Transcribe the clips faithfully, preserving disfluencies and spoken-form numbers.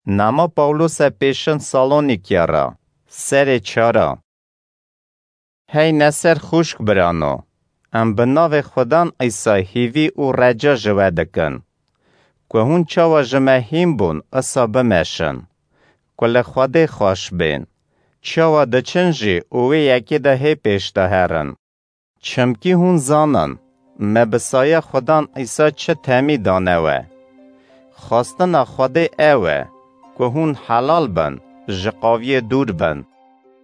Nama Pawlose pêşin Salonîkya re, serê çara. Hey neser xwişk birano, em bi navê Xudan Îsa hîvî û reca ji we dikin, ku hûn çawa ji me hîn bûn, isa bimeşin, ku li Xwedê xweş bên, çawa diçin jî û wê yekê de hê pêş de herin. Çimkî hûn zanin, me bi saya Xudan Îsa çi temî dane we. Xwestina Xwedê ew e, ku hûn helal bin, ji qaviyê dûr bin.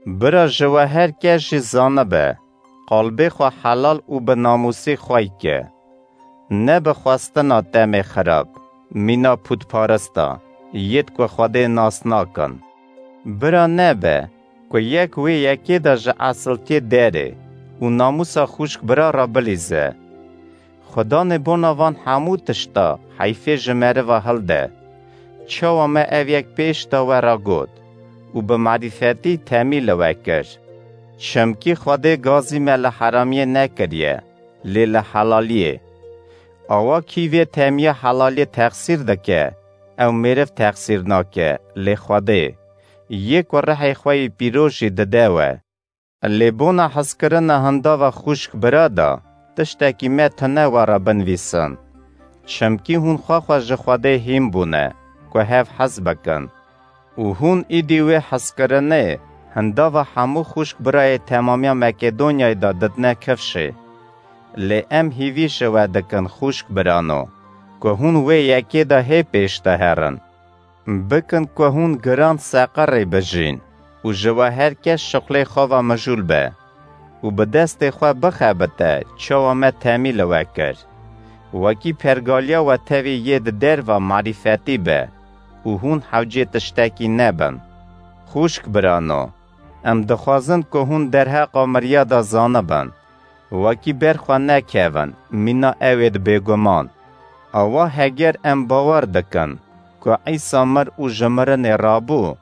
Bira ji we her kes jî zanibe, qalbê xwe helal û bi namûsî xwey ke. Ne bi xwestina temê xirab, mîna pûtparista, yêd ku Xwedê nas nakin. Bira nebe, ku yek wê yekê de ji esilkê derê û namûsa xwişk bira re bilîze. Xudanê bona van hemû tişta heyfê ji meriva hilde. Çawa me ev yek pêş de we re got û bi marîfetî temî li we kir. Çimkî Xwedê gazî me li heramiyê nekiriye, lê li helaliyê. Awa kî vê temiya helaliyê texsîr dike, ew mêriv texsîr nake, lê Xwedê, yê ku rihê xwe yê pîroz jî dide we. Lê bona hezkirina hindava xwişk bira de, tiştekî me tune we re binivîsin. Çimkî hûn xwe xwe ji Xwedê hîn bûne, ku hev hez bikin. Û hûn îdî wê hezkirinê hindava hemû xwişk birayê temamiya Makedonyayê de didine kifşê. Lê em hîvî ji we dikin xwişk birano, ku hûn wê yekê de hê pêş de herin. Bikin ku hûn giran seqirê bijîn û ji we her kes şixulê xwe ve mijûl be û bi destê xwe bixebite çawa me temî li we kir. Wekî pergaliya we tevî yê di derva marîfetî be û hûn hewcê tiştekî nebin. Xwişk birano, em dixwazin ku hûn derheqa miriya de zanibin, wekî ber xwe nekevin, mîna ewêd bêguman. Awa heger em bawer dikin ku Îsa mir û ji mirinê rabû,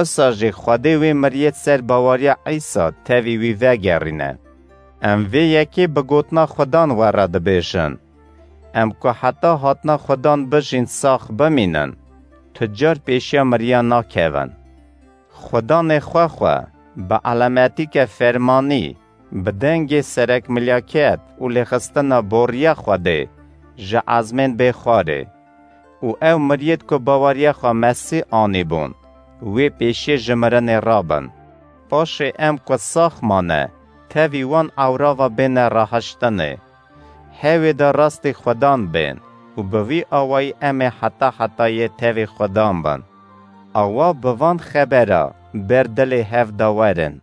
isa jî Xwedê wê miriyêd ser baweriya Îsa tevî wî vegerîne. Em vê yekê bi gotina Xudan we re dibêjin. Em ku heta hatina Xudan bijîn sax bimînin, tu car pêşiya miriya nakevin. Xudanê xwe xwe, bi elemetîke fermanî, bi dengê serekmilyaket û lêxistina boriya Xwedê, ji ezmên bê xwarê. Û ew miriyêd ku baweriya xwe Mesîh anîbûn, wê pêşiyê ji mirinê rabin. Paşê em ku sax mane, tevî wan ewra ve bêne rahiştinê. Hewê de rastî Xudan bên û bi vî awayî em ê heta hetayê tevî Xudan bin. Awa bi van xebera ber dilê hev de werin.